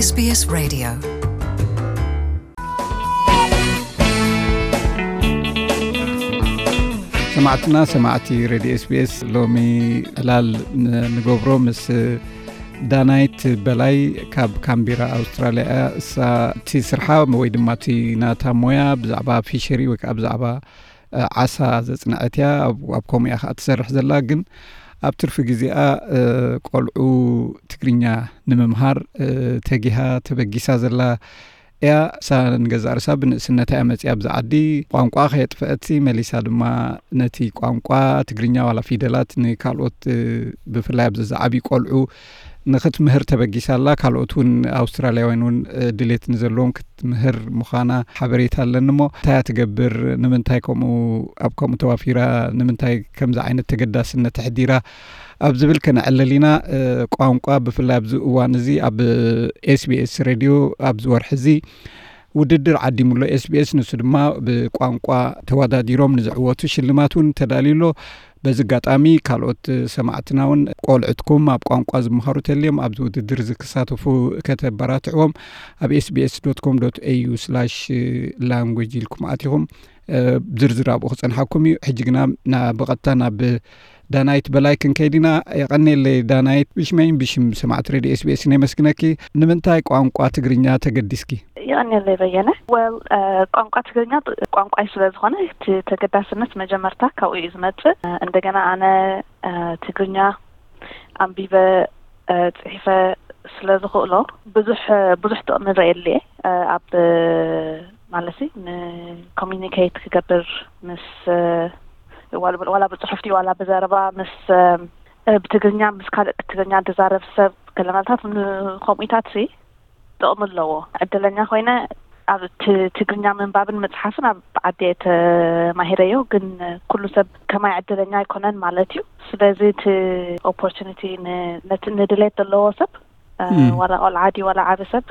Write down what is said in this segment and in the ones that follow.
SBS Radio. ሰማዕትና ሰማዕቲ ሬድዮ ኤስቢኤስ፣ ሎሚ ዕላል ን- ንገብሮ ምስ ዳናይት በላይ ካብ ካምቢራ ኣውስትራልያ እያ። እሳ እቲ ስርሓ ወይ ድማ እቲ ናታ ሞያ ብዛዕባ ፊሸሪ ወይ ከዓ ብዛዕባ ዓሳ ዘፅንዐት እያ። ኣብ ከምኡ እያ ከዓ ትሰርሕ ዘላ። ግን ኣብ ትርፊ ግዜኣ ቆልዑ ትግርኛ ንምምሃር ተጊሃ ተበጊሳ ዘላ እያ። እሳ ንገዛእ ርእሳ ብንእስነታ እያ መፅያ ኣብዚ ዓዲ። ቋንቋ ከየጥፈአት መሊሳ ድማ ነቲ ቋንቋ ትግርኛ ዋላ ፊደላት ንካልኦት ብፍላይ ኣብዚ ዝዓብዩ ቆልዑ ንክትምህር ተበጊሳ ኣላ። ካልኦት እውን ኣውስትራልያውያን እውን ድሌት ንዘለዎም ክትምህር ምዃና ሓበሬታ ኣለኒ። እሞ እንታይ እያ ትገብር? ንምንታይ ከምኡ ኣብ ከምኡ ተዋፊራ? ንምንታይ ከምዚ ዓይነት ተገዳስነት ኣሕዲራ? ኣብ ዝብል ከነዕልል ኢና። ቋንቋ ብፍላይ ኣብዚ እዋን እዚ ኣብ ኤስቢኤስ ሬድዮ ኣብዚ ወርሒ እዚ ውድድር ዓዲሙ ኣሎ ኤስቢኤስ። ንሱ ድማ ብቋንቋ ተወዳዲሮም ንዝዕወቱ ሽልማት እውን ተዳልዩ ኣሎ። በዚ ኣጋጣሚ ካልኦት ሰማዕትና እውን ቆልዕትኩም ኣብ ቋንቋ ዝመሃሩ ተልዮም ኣብዚ ውድድር እዚ ክሳተፉ ከተበራትዕዎም ኣብ ኤስቢኤስ ዶት ኮም ዶት ኤዩ ስላሽ ላንጉጅ ኢልኩም ኣቲኹም ዝርዝር ኣብኡ ክፀንሓኩም እዩ። ሕጂ ግና ብቐጥታ ናብ ዳናይት በላይ ክንከይድ ኢና። የቐኔለይ ዳናይት፣ ብሽመይን ብሽም ሰማዕቲ ሬድዮ ኤስቢኤስ ነመስግነኪ። ንምንታይ ቋንቋ ትግርኛ ተገዲስኪ? የቐኔለይ በየነ። ወል ቋንቋ ትግርኛ ቋንቋይ ስለ ዝኾነ እቲ ተገዳስነት መጀመርታ ካብኡ እዩ ዝመፅእ። እንደገና ኣነ ትግርኛ ኣንቢበ ፅሒፈ ስለ ዝኽእሎ ብዙሕ ብዙሕ ጥቕሚ ረየልየ ኣብ ማለት ንኮሚኒኬት ክገብር ምስ ዋላ ብፅሑፍቲ ዋላ ብዘረባ ምስ ብትግርኛ ምስ ካልእ ትግርኛ ዝዛረብ ሰብ ገለመልታት ከምኡታት ሲ ጥቕሚ ኣለዎ። ዕድለኛ ኮይነ ኣብ ትግርኛ ምንባብን ምፅሓፍን ኣብ ዓዲ ተማሂረዮ፣ ግን ኩሉ ሰብ ከማይ ዕድለኛ ኣይኮነን ማለት እዩ። ስለዚ እቲ ኦፖርቹኒቲ ንድሌት ዘለዎ ሰብ ዋላ ቆልዓ ድዩ ዋላ ዓቢ ሰብ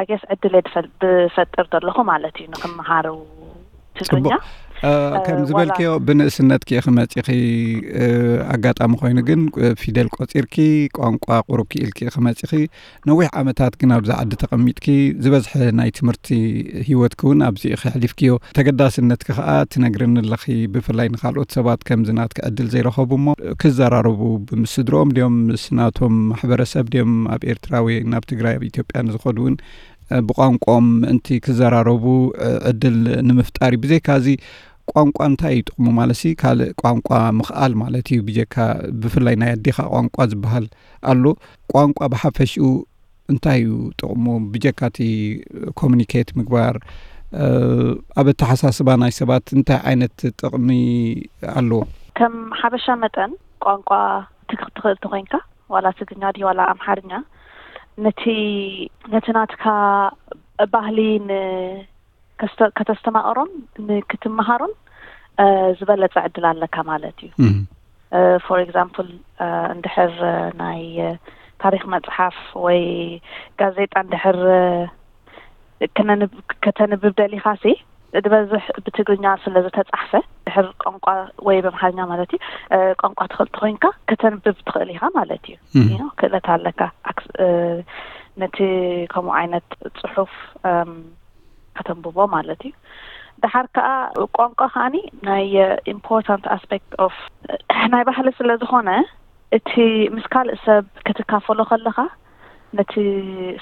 ኣገስ ዕድል ድፈል ብፈጥር ዘለኹ ማለት እዩ ንክመሃሩ ትግርኛ። ከም ዝበልክዮ ብንእስነትኪ ኢኺ መፂኺ። ኣጋጣሚ ኮይኑ ግን ፊደል ቆፂርኪ ቋንቋ ቁሩብ ክኢልኪ ኢኺ መፂኺ። ነዊሕ ዓመታት ግን ኣብዚ ዓዲ ተቐሚጥኪ ዝበዝሐ ናይ ትምህርቲ ህይወትኪ እውን ኣብዚ ኢኺ ኣሕሊፍክዮ። ተገዳስነትኪ ከዓ ትነግርኒ ኣለኺ። ብፍላይ ንካልኦት ሰባት ከምዚ ናትኪ ዕድል ዘይረኸቡ እሞ ክዘራረቡ ምስ ስድርኦም ድዮም ምስ ናቶም ማሕበረሰብ ድዮም ኣብ ኤርትራ ወይ ናብ ትግራይ ኣብ ኢትዮጵያ ንዝኸዱ እውን ብቋንቋኦም ምእንቲ ክዘራረቡ ዕድል ንምፍጣር እዩ። ብዘይካ እዚ ቋንቋ እንታይ እዩ ጥቕሙ? ማለት ሲ ካልእ ቋንቋ ምኽኣል ማለት እዩ። ብጀካ ብፍላይ ናይ ኣዴኻ ቋንቋ ዝበሃል ኣሎ። ቋንቋ ብሓፈሽኡ እንታይ እዩ ጥቕሙ? ብጀካ እቲ ኮሚኒኬት ምግባር ኣብ ኣተሓሳስባ ናይ ሰባት እንታይ ዓይነት ጥቕሚ ኣለዎ? ከም ሓበሻ መጠን ቋንቋ ትግርኛ ትኽእል ተኾይንካ ዋላ ትግርኛ ድዩ ዋላ ኣምሓርኛ ነቲ ነቲ ናትካ ባህሊ ን ከተስተማቕሮን ንክትመሃሮን ዝበለፀ ዕድል ኣለካ ማለት እዩ። ፎር ኤግዛምፕል እንድሕር ናይ ታሪክ መፅሓፍ ወይ ጋዜጣ እንድሕር ከተንብብ ደሊካ ሲ ዝበዝሕ ብትግርኛ ስለ ዝተፃሕፈ ድሕር ቋንቋ ወይ ብኣምሓርኛ ማለት እዩ ቋንቋ ትኽእል ተኮይንካ ከተንብብ ትኽእል ኢኻ ማለት እዩ። ክእለት ኣለካ ነቲ ከምኡ ዓይነት ፅሑፍ ከተንብቦ ማለት እዩ። ደሓር ከዓ ቋንቋ ከዓኒ ናይ ኢምፖርታንት ኣስፔክት ኦፍ ናይ ባህሊ ስለ ዝኾነ እቲ ምስ ካልእ ሰብ ክትካፈሎ ከለኻ ነቲ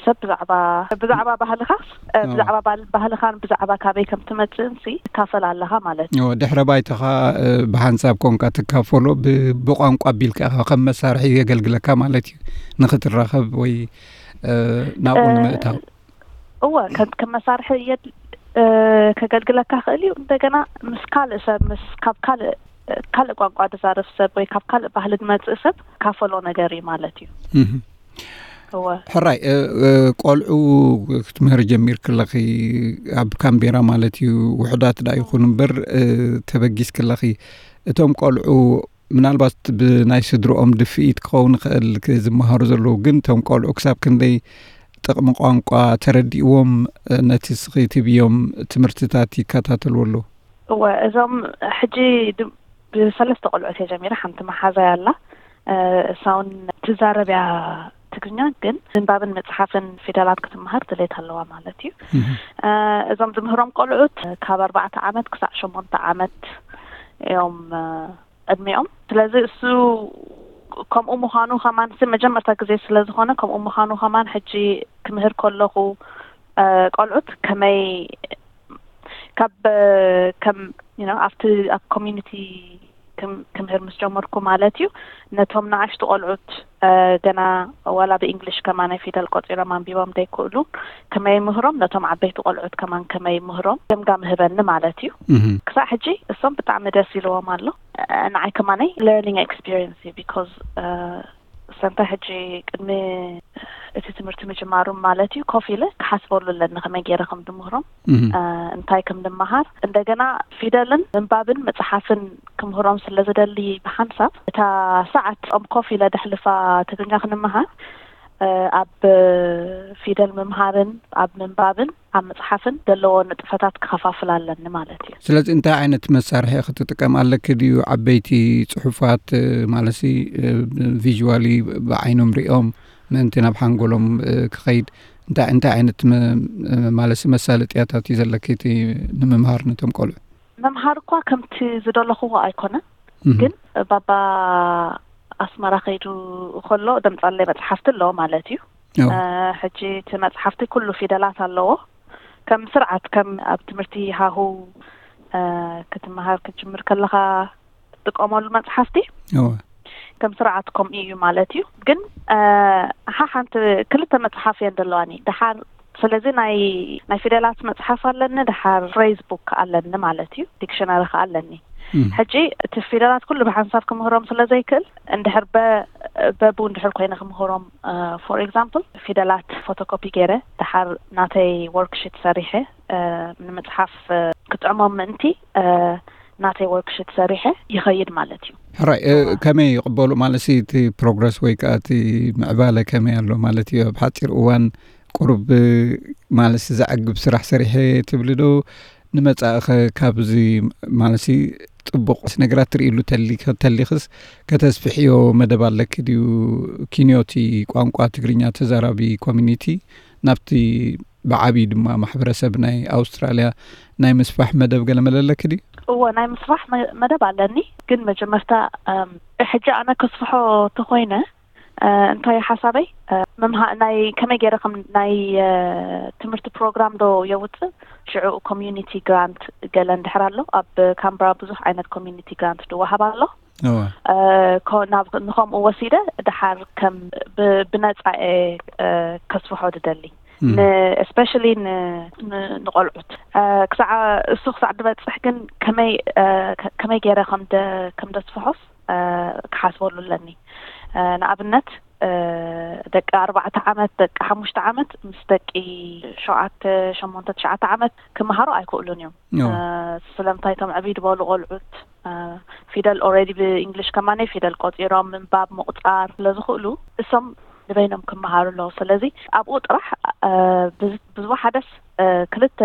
ሰብ ብዛዕባ ብዛዕባ ባህልኻ ብዛዕባ ባህልኻን ብዛዕባ ካበይ ከም ትመፅእን ሲ ትካፈል ኣለኻ ማለት እዩ። ድሕረ ባይታኻ ብሓንሳብ ኮንካ ትካፈሎ ብቋንቋ ኣቢልካ ኢኻ ከም መሳርሒ የገልግለካ ማለት እዩ። ንክትራኸብ ወይ ናብኡ ንምእታው እወ ከም መሳርሒ ከገልግለካ ክእል እዩ። እንደገና ምስ ካልእ ሰብ ምስ ካብ ካልእ ካልእ ቋንቋ ዝዛረብ ሰብ ወይ ካብ ካልእ ባህሊ ዝመፅእ ሰብ ካፈሎ ነገር እዩ ማለት እዩ። እወ ሕራይ ቆልዑ ክትምህር ጀሚር ክለኺ ኣብ ካምቤራ ማለት እዩ። ውሕዳት ዳ ይኹን እምበር ተበጊስ ክለኺ እቶም ቆልዑ ምናልባት ብናይ ስድርኦም ድፍኢት ክኸውን ይኽእል ዝመሃሩ ዘለዉ፣ ግን እቶም ቆልዑ ክሳብ ክንደይ ጥቕሚ ቋንቋ ተረዲእዎም ነቲ ስኺ ትብዮም ትምህርትታት ይከታተልዎ ኣለዉ? እወ፣ እዞም ሕጂ ብሰለስተ ቆልዑት እየ ጀሚረ። ሓንቲ መሓዛይ ኣላ፣ እሳውን ትዛረብ እያ፣ ትግርኛ፣ ግን ምንባብን ምጽሓፍን ፊደላት ክትመሃር ድሌት ኣለዋ ማለት እዩ። እዞም ዝምህሮም ቆልዑት ካብ ኣርባዕተ ዓመት ክሳዕ ሸሞንተ ዓመት እዮም ዕድሚኦም። ስለዚ እሱ ከምኡ ምዃኑ ከማን፣ መጀመርታ ግዜ ስለ ዝኾነ፣ ከምኡ ምዃኑ ከማን ሕጂ ክምህር ከለኹ ቆልዑት ከመይ ካብ ከም ኣብቲ ኣብ ኮሚኒቲ ክምህር ምስ ጀመርኩ ማለት እዩ፣ ነቶም ንኣሽቱ ቆልዑት ገና ዋላ ብእንግሊሽ ከማን ፊደል ቆጺሮም ኣንቢቦም ዘይክእሉ ከመይ ምህሮም፣ ነቶም ዓበይቲ ቆልዑት ከማን ከመይ ምህሮም ገምጋም ህበኒ ማለት እዩ። ክሳዕ ሕጂ እሶም ብጣዕሚ ደስ ኢልዎም ኣሎ። ንዓይ ከማነይ ለርኒንግ ኤክስፒሪየንስ እዩ፣ ቢኮዝ ሰንታ ሕጂ ቅድሚ እቲ ትምህርቲ ምጅማሩ ማለት እዩ፣ ኮፍ ኢለ ክሓስበሉ ኣለኒ ከመይ ገይረ ከም ድምህሮም፣ እንታይ ከም ድመሃር። እንደገና ፊደልን ምንባብን መጽሓፍን ክምህሮም ስለ ዝደሊ፣ ብሓንሳብ እታ ሰዓት ኦም ኮፍ ኢለ ደሕልፋ ትግርኛ ክንመሃር፣ ኣብ ፊደል ምምሃርን ኣብ ምንባብን ኣብ መጽሓፍን ዘለዎ ንጥፈታት ክኸፋፍል ኣለኒ ማለት እዩ። ስለዚ እንታይ ዓይነት መሳርሒ ክትጥቀም ኣለኪ ድዩ? ዓበይቲ ጽሑፋት፣ ማለሲ ቪዥዋሊ ብዓይኖም ሪኦም ምእንቲ ናብ ሓንጎሎም ክኸይድ እንታይ እንታይ ዓይነት ማለሲ መሳለጥያታት እዩ ዘለኪ እቲ ንምምሃር ነቶም ቆልዑ? ምምሃር እኳ ከምቲ ዝደለኽዎ ኣይኮነን፣ ግን ባባ ኣስመራ ከይዱ ከሎ ደምጻለይ መጽሓፍቲ ኣለዎ ማለት እዩ። ሕጂ እቲ መጽሓፍቲ ኩሉ ፊደላት ኣለዎ። ከም ስርዓት ከም ኣብ ትምህርቲ ሃሁ ክትመሃር ክትጅምር ከለኻ ትጥቀመሉ መጽሓፍቲ ከም ስርዓት ከምኡ እዩ ማለት እዩ። ግን ሓሓንቲ ክልተ መጽሓፍ እየን ዘለዋኒ ድሓር። ስለዚ ናይ ናይ ፊደላት መጽሓፍ ኣለኒ፣ ድሓር ፍሬዝ ቡክ ኣለኒ ማለት እዩ፣ ዲክሽነሪ ከኣ ኣለኒ። ሕጂ እቲ ፊደላት ኩሉ ብሓንሳብ ክምህሮም ስለ ዘይክእል፣ እንድሕር በቡ እንድሕር ኮይነ ክምህሮም፣ ፎር ኤግዛምፕል ፊደላት ፎቶኮፒ ገይረ ድሓር ናተይ ወርክሽት ሰሪሐ ንምጽሓፍ ክጥዕሞም ምእንቲ ናተይ ወርክሽት ሰሪሐ ይኸይድ ማለት እዩ። ሕራይ ከመይ ይቕበሉ ማለት እቲ ፕሮግረስ ወይ ከዓ እቲ ምዕባለ ከመይ ኣሎ ማለት እዩ? ኣብ ሓፂር እዋን ቁሩብ ማለት ዘዕግብ ስራሕ ሰሪሐ ትብሊ ዶ? ንመጻእኸ ካብዚ ማለት ጽቡቕ ነገራት ትርእይሉ ተሊኽስ ከተስፍሕዮ መደብ ኣለኪ ድዩ? ኪንዮቲ ቋንቋ ትግርኛ ተዛራቢ ኮሚኒቲ ናብቲ ብዓብዪ ድማ ማሕበረሰብ ናይ ኣውስትራልያ ናይ ምስፋሕ መደብ ገለ መለ ኣለኪ ድዩ? እወ፣ ናይ ምስፋሕ መደብ ኣለኒ፣ ግን መጀመርታ ሕጂ ኣነ ከስፍሖ ተኾይነ እንታይ ሓሳበይ፣ ናይ ከመይ ገይረ ከም ናይ ትምህርቲ ፕሮግራም ዶ የውፅእ፣ ሽዑ ኮሚዩኒቲ ግራንት ገለ እንድሕር ኣሎ፣ ኣብ ካምብራ ብዙሕ ዓይነት ኮሚዩኒቲ ግራንት ድወሃብ ኣሎ። ንኸምኡ ወሲደ ድሓር ከም ብነፃ ከስፍሖ ድደሊ፣ እስፔሻሊ ንቆልዑት። ክሳዕ እሱ ክሳዕ ድበፅሕ ግን ከመይ ገይረ ከም ደስፍሖስ ክሓስበሉ ኣለኒ። ንኣብነት ደቂ ኣርባዕተ ዓመት፣ ደቂ ሓሙሽተ ዓመት ምስ ደቂ ሸውዓተ፣ ሸሞንተ፣ ትሽዓተ ዓመት ክመሃሩ ኣይክእሉን እዮም። ስለምንታይ እቶም ዕብይ ዝበሉ ቆልዑት ፊደል ኦልሬዲ ብእንግሊሽ ከማነይ ፊደል ቆፂሮም ምንባብ ምቁፃር ስለ ዝኽእሉ እሶም ንበይኖም ክመሃሩ ኣለዉ። ስለዚ ኣብኡ ጥራሕ ብዝወሓደስ ክልተ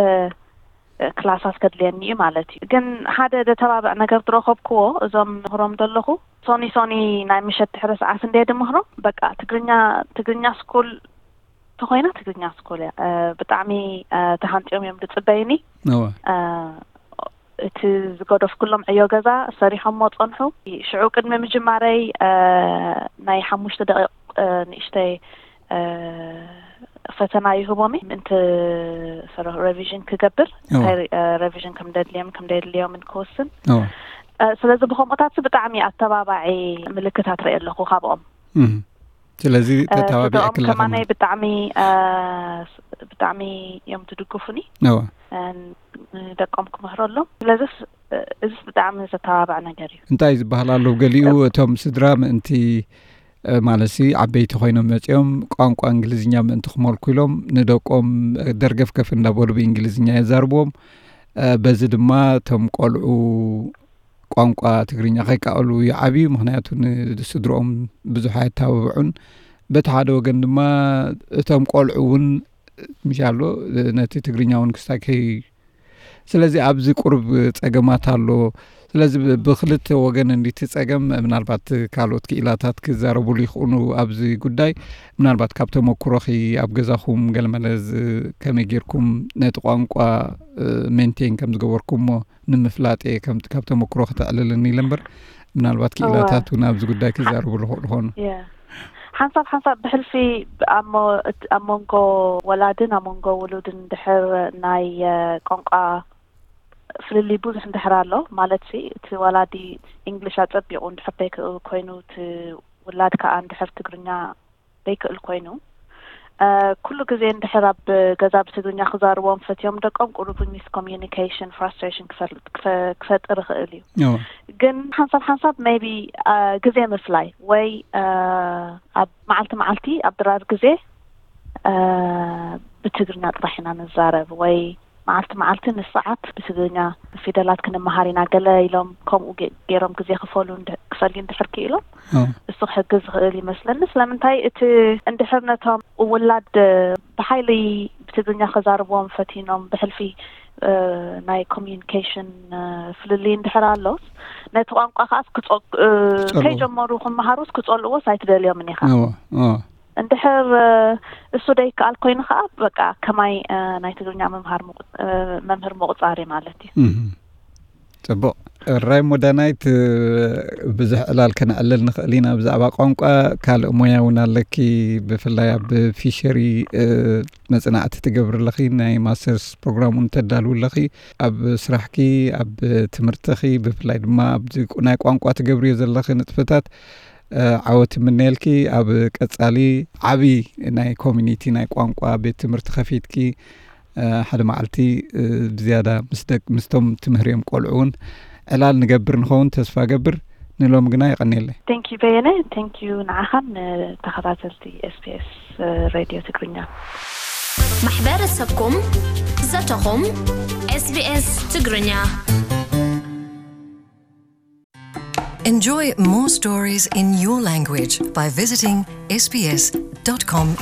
ክላሳት ከድልየኒ እዩ ማለት እዩ። ግን ሓደ ደተባብዕ ነገር ዝረኸብክዎ እዞም ምህሮም ዘለኹ ሶኒ ሶኒ ናይ ምሸት ድሕሪ ሰዓት እንደ ድምህሮም በቃ ትግርኛ ትግርኛ ስኩል ተኾይና ትግርኛ ስኩል እያ። ብጣዕሚ ተሃንጥዮም እዮም ዝፅበይኒ። እቲ ዝገደፍኩሎም ዕዮ ገዛ ሰሪሖሞ ፀንሑ። ሽዑ ቅድሚ ምጅማረይ ናይ ሓሙሽተ ደቂቕ ንእሽተይ ፈተና ይህቦም ምእንቲ ሬቪዥን ክገብር፣ እንታይ ሬቪዥን ከም ደድልዮም ከም ደድልዮምን ክውስን። ስለዚ ብከምኡታት ብጣዕሚ ኣተባባዒ ምልክታት ርኢ ኣለኹ ካብኦም። ስለዚ ተተባቢዕክላ ከማነይ ብጣዕሚ ብጣዕሚ እዮም ትድግፉኒ። ንደቆም ክምህረሎም። ስለዚስ እዚስ ብጣዕሚ ዘተባባዕ ነገር እዩ። እንታይ ዝበሃል ኣሎ? ገሊኡ እቶም ስድራ ምእንቲ ማለትሲ ዓበይቲ ኮይኖም መፂኦም ቋንቋ እንግሊዝኛ ምእንቲ ክመልኩ ኢሎም ንደቆም ደርገፍገፍ እንዳበሉ ብእንግሊዝኛ የዛርብዎም። በዚ ድማ እቶም ቆልዑ ቋንቋ ትግርኛ ከይከኣሉ ይዓብዩ። ምክንያቱ ንስድርኦም ብዙሕ ኣየተባብዑን። በቲ ሓደ ወገን ድማ እቶም ቆልዑ እውን ምሻሎ ነቲ ትግርኛ እውን ክስታይ ከይ ስለዚ ኣብዚ ቁሩብ ጸገማት ኣሎ። ስለዚ ብ- ብክልተ ወገን እንዲቲ ጸገም ምናልባት ካልኦት ክኢላታት ክዛረቡሉ ይኽእሉ ኣብዚ ጉዳይ። ምናልባት ካብ ተመክሮኺ ኣብ ገዛኹም ገለመለ ዝ- ከመይ ጌርኩም ነቲ ቋንቋ ሜንቴን ከም ዝገበርኩሞ ንምፍላጥ እየ ከም- ካብ ተመክሮ ከተዕልልኒ ኢለ እምበር ምናልባት ክኢላታት እውን ኣብዚ ጉዳይ ክዛረቡሉ ይኽእሉ ይኾኑ። ሓንሳብ ሓንሳብ ብሕልፊ ኣብ ሞ- እት- ኣብ መንጎ ወላድን ኣብ መንጎ ውሉድን ድሕር ናይ ቋንቋ ፍልልይ ብዙሕ እንድሕር ኣሎ ማለት ሲ እቲ ወላዲ እንግሊሽ ኣጸቢቑ እንድሕር ዘይክእል ኮይኑ እቲ ውላድ ከዓ እንድሕር ትግርኛ ዘይክእል ኮይኑ ኩሉ ግዜ እንድሕር ኣብ ገዛ ብትግርኛ ክዛርቦም ፈትዮም ደቆም ቁሩብ ሚስ ኮሚኒኬሽን ፍራስትሬሽን ክፈጥር ይኽእል እዩ። ግን ሓንሳብ ሓንሳብ ሜቢ ግዜ ምፍላይ ወይ ኣብ መዓልቲ መዓልቲ ኣብ ድራር ግዜ ብትግርኛ ጥራሕ ኢና ንዛረብ ወይ መዓልቲ መዓልቲ ንሰዓት ብትግርኛ ፊደላት ክንመሃር ኢና ገለ ኢሎም ከምኡ ገይሮም ግዜ ክፈሉ ክፈልዩ እንድሕር ክኢሎም እሱ ክሕግዝ ዝኽእል ይመስለኒ። ስለምንታይ እቲ እንድሕር ነቶም ውላድ ብሓይሊ ብትግርኛ ከዛርብዎም ፈቲኖም ብሕልፊ ናይ ኮሚኒኬሽን ፍልልይ እንድሕር ኣሎስ ነቲ ቋንቋ ከዓስ ከይጀመሩ ክመሃሩስ ክጸልእዎስ ኣይትደልዮምን ኢኻ። እንድሕር እሱ ደይከኣል ኮይኑ ከዓ በቃ ከማይ ናይ ትግርኛ መምህር ምቑፃር እዩ ማለት እዩ። ፅቡቕ። ራይ ሞዳናይት ብዙሕ ዕላል ከነዕልል ንኽእል ኢና ብዛዕባ ቋንቋ። ካልእ ሞያ እውን ኣለኪ፣ ብፍላይ ኣብ ፊሸሪ መፅናዕቲ ትገብሪ ኣለኺ፣ ናይ ማስተርስ ፕሮግራም እውን ተዳልው ኣለኺ። ኣብ ስራሕኪ፣ ኣብ ትምህርትኺ፣ ብፍላይ ድማ ኣብዚ ናይ ቋንቋ ትገብርዮ ዘለኺ ንጥፈታት ዓወት እምነየልኪ። ኣብ ቀጻሊ ዓቢ ናይ ኮሚኒቲ ናይ ቋንቋ ቤት ትምህርቲ ከፊትኪ ሓደ መዓልቲ ብዝያዳ ምስቶም ትምህርዮም ቆልዑ እውን ዕላል ንገብር ንኸውን ተስፋ ገብር። ንሎም ግና የቐንየለይ። Thank you በየነ። Thank you ንዓኻን ንተኸታተልቲ SBS ሬድዮ ትግርኛ። ማሕበረሰብኩም ዘተኹም SBS ትግርኛ። Enjoy more stories in your language by visiting sbs.com.au.